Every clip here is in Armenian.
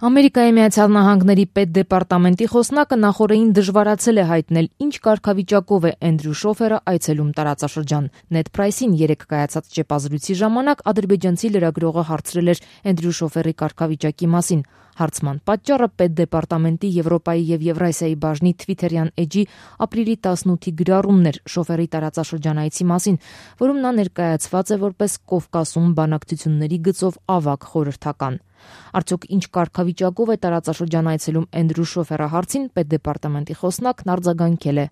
Ամերիկայի Միացյալ Նահանգների պետդեպարտամենտի խոսնակը նախօրեին դժվարացել է հայտնել, ինչ կարգավիճակով է Էնդրյու Շոֆերը այցելում տարածաշրջան։ Նեդ Պրայսին երեկ կայացած ճեպազրույցի ժամանակ ադրբեջանցի լրագրողը հարցրել էր Էնդրյու Շոֆերի կարգավիճակի մասին։ Հարցման պատճառը պետդեպարտամենտի Եվրոպայի եւ Եվրասիայի բաժնի Թվիթերյան էջի ապրիլի 18-ի գրառումն էր Շոֆերի տարածաշրջանայցի մասին, որում նա ներկայացված է որպես Կովկասում բանակցությունների գծով ավագ խորհրդական։ Արդյոք ինչ կարգավիճակով է տարածաշրջան այցելում Էնդրյու Շոֆերը հարցին պետդեպարտամենտի խոսնակն արձագանքել է.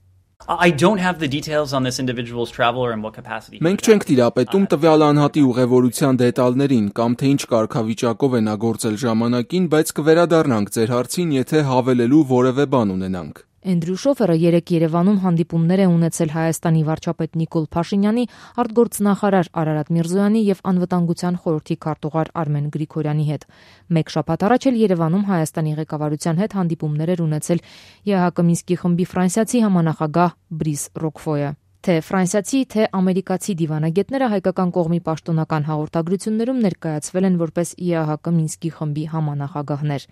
Մենք չենք տիրապետում տվյալ անհատի ուղևորության դետալներին կամ թե ինչ կարգավիճակով է նա գործել ժամանակին, բայց կվերադառնանք ձեր հարցին, եթե հավելելու որևէ բան ունենանք։ Էնդրյու Շոֆերը երեկ Երևանում հանդիպումներ է ունեցել Հայաստանի վարչապետ Նիկոլ Փաշինյանի, արտգործնախարար Արարատ Միրզոյանի եւ անվտանգության խորհրդի քարտուղար Արմեն Գրիգորյանի հետ։ Մեկ շաբաթ առաջ էլ Երևանում Հայաստանի ղեկավարության հետ հանդիպումներ էր ունեցել ԵԱՀԿ Մինսկի խմբի ֆրանսիացի համանախագահ Բրիս Ռոկֆոյը։ Թե ֆրանսիացի, թե ամերիկացի դիվանագետները հայկական կողմի պաշտոնական հաղորդագրություններում ներկայացվել են որպես ԵԱՀԿ Մինսկի խմբի համանախագահներ։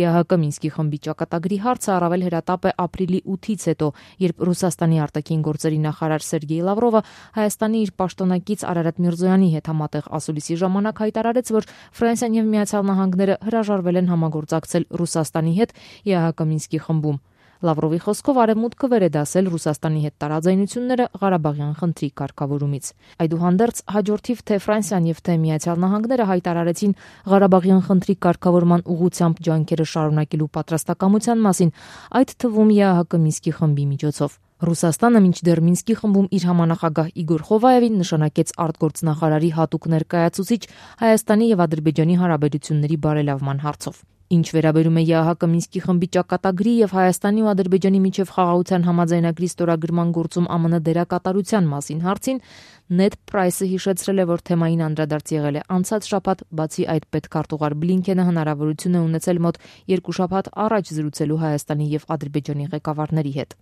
ԵԱՀԿ Մինսկի խմբի ճակատագրի հարցը առավել հրատապ է ապրիլի 8-ից հետո, երբ Ռուսաստանի արտաքին գործերի նախարար Սերգեյ Լավրովը Հայաստանի իր պաշտոնակից Արարատ Միրզոյանի հետ համատեղ ասուլիսի ժամանակ հայտարարեց, որ Ֆրանսիան եւ Միացյալ Նահանգները հրաժարվել են համագործակցել Ռուսաստանի հետ ԵԱՀԿ Մինսկի խմբում։ Լավրովի խոսքով Արևմուտքը վեր է դասել Ռուսաստանի հետ տարաձայնությունները Ղարաբաղյան խնդրի կարգավորումից։ Այդուհանդերձ հաջորդիվ թե Ֆրանսիան եւ թե Միացյալ Նահանգները հայտարարեցին Ղարաբաղյան խնդրի կարգավորման ուղղությամբ ջանքերը շարունակելու պատրաստակամության մասին, այդ թվում ԵԱՀԿ Մինսկի խմբի միջոցով։ Ռուսաստանը մինչդեռ Մինսկի խմբում իր համանախագահ Իգոր Խովայևին նշանակեց արտգործնախարարի հատուկ ներկայացուցիչ Հայաստանի եւ Ադրբեջանի հարաբերությունների բարելավման հարցով։ Ինչ վերաբերում է ԵԱՀԿ Մինսկի խմբի ճակատագրի եւ Հայաստանի ու Ադրբեջանի միջև խաղաղության համաձայնագրի ստորագրման գործում ԱՄՆ դերակատարության մասին հարցին, Նեդ Պրայսը հիշեցրել է, որ թեմային անդրադարձ եղել է անցած շաբաթ, բացի այդ պետքարտուղար Բլինքենը հնարավորություն է ունեցել մոտ 2 շաբաթ առաջ զրուցելու Հայաստանի եւ Ադրբեջանի ղեկավարների հետ։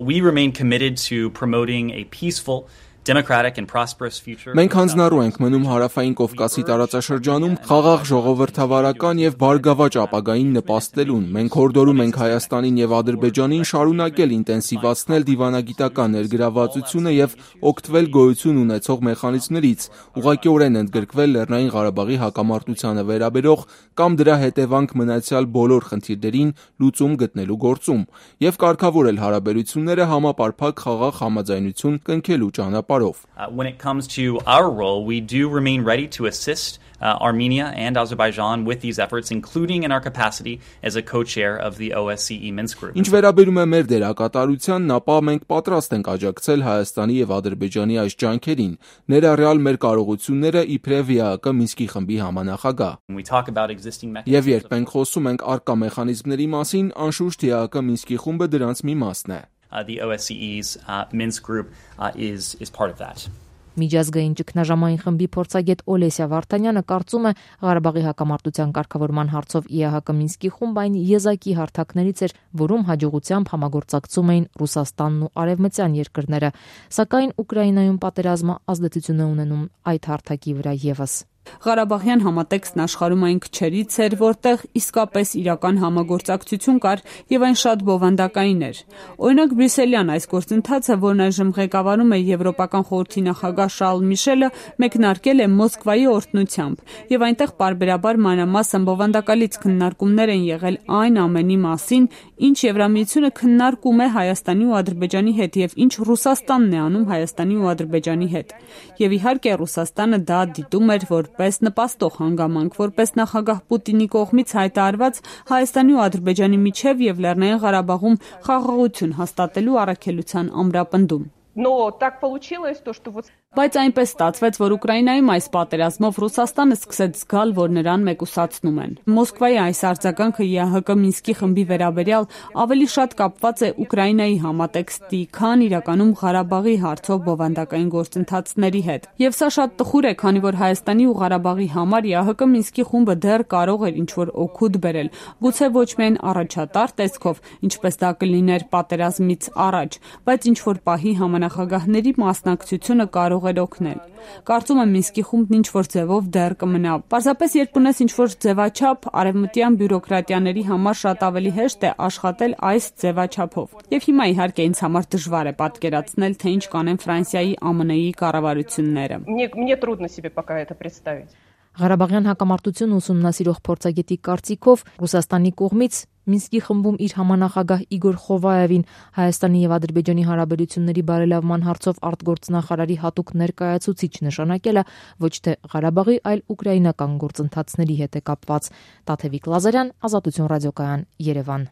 Մենք հանձնառու ենք մնում Հարավային Կովկասի տարածաշրջանում խաղաղ ժողովրդավարական եւ բարգավաճ ապագային նպաստելուն։ Մենք հորդորում ենք Հայաստանին եւ Ադրբեջանին շարունակել ինտենսիվացնել դիվանագիտական ներգրավվածությունը եւ օգտվել գոյություն ունեցող մեխանիզմներից, ուղղակիորեն ընդգրկվել Լեռնային Ղարաբաղի հակամարտությանը վերաբերող կամ դրա հետևանք մնացյալ բոլոր խնդիրներին լուծում գտնելու գործում եւ կարգավորել հարաբերությունները համապարփակ խաղաղ համաձայնություն կնքելու ճանապարհով։ When it comes to our role, we do remain ready to assist Armenia and Azerbaijan with these efforts, including in our capacity as a co-chair of the OSCE Minsk group. Ինչ վերաբերում է մեր դերակատարությանն, ապա մենք պատրաստ ենք աջակցել Հայաստանի եւ Ադրբեջանի այս ջանքերին, ներառյալ մեր կարողությունները իբրև ԵԱՀԿ Մինսկի խմբի համանախագահ։ Եվ երբ մենք խոսում ենք առկա մեխանիզմների մասին, անշուշտ ԵԱՀԿ Մինսկի խումբը դրանց մի մասն է։ The OSCE's Minsk group is part of that. Միջազգային ճգնաժամային խմբի փորձագետ Օլեսիա Վարդանյանը կարծում է Ղարաբաղի հակամարտության կարգավորման հարցով ԵԱՀԿ Մինսկի խումբ այն եզակի հարթակներից էր, որում հաջողությամբ համագործակցում էին Ռուսաստանն ու արևմտյան երկրները, սակայն Ուկրաինայում պատերազմը ազդեցություն է ունենում այդ հարթակի վրա եւս։ Ղարաբաղյան համատեքստն աշխարհում այն քչերից էր, որտեղ իսկապես իրական համագործակցություն կար եւ այն շատ բովանդակային էր։ Օրինակ Բրյուսելյան այս գործընթացը, որն այժմ ղեկավարում է Եվրոպական խորհրդի նախագահ Շարլ Միշելը, մեկնարկել է Մոսկվայի օրհնությամբ եւ այնտեղ պարբերաբար մանրամասն բովանդակալից քննարկումներ են եղել այն ամենի մասին, ինչ Եվրամիությունը քննարկում է Հայաստանի ու Ադրբեջանի հետ եւ ինչ Ռուսաստանն է անում Հայաստանի ու Ադրբեջանի հետ։ Եվ իհարկե Ռուսաստանը դա դիտում էր որպես նպաստող հանգամանք, որպես նախագահ Պուտինի կողմից հայտարարված Հայաստանի ու Ադրբեջանի միջև եւ Լեռնային Ղարաբաղում խաղաղություն հաստատելու առաքելության ամրապնդում։ Բայց այնպես ստացվեց, որ Ուկրաինայում այս պատերազմով Ռուսաստանը սկսեց զգալ, որ նրան մեկուսացնում են։ Մոսկվայի այս արձագանքը ԵԱՀԿ Մինսկի խմբի վերաբերյալ ավելի շատ կապված է Ուկրաինայի համատեքստի, քան իրականում Ղարաբաղի հարցով բովանդակային գործընթացների հետ։ Եվ սա շատ տխուր է, քանի որ Հայաստանի ու Ղարաբաղի համար ԵԱՀԿ Մինսկի խումբը դեռ կարող էր ինչ-որ օգուտ բերել, գուցե ոչ միայն առաջատար տեսքով, ինչպես դա կլիներ պատերազմից առաջ, բայց ինչ-որ պահի համանախագահների մասնակցությունը կարող էր օգնել։ Կարծում եմ Մինսկի խումբն ինչ-որ ձևով դեռ կմնա։ Պարզապես երբ ունես ինչ-որ ձևաչափ, արևմտյան բյուրոկրատիաների համար շատ ավելի հեշտ է աշխատել այս ձևաչափով։ Եվ հիմա իհարկե ինձ համար դժվար է պատկերացնել, թե ինչ կանեն Ֆրանսիայի, ԱՄՆ-ի կառավարությունները։ Мне трудно себе пока это представить. Ղարաբաղյան հակամարտությունը ուսումնասիրող փորձագետի կարծիքով Ռուսաստանի կողմից Մինսկի խմբում իր համանախագահ Իգոր Խովայևին Հայաստանի եւ Ադրբեջանի հարաբերությունների բարելավման հարցով արտգործնախարարի հատուկ ներկայացուցիչ նշանակելը ոչ թե Ղարաբաղի, այլ ուկրաինական գործընթացների հետ է կապված։ Տաթևիկ Լազարյան, Ազատություն ռադիոկայան, Երևան։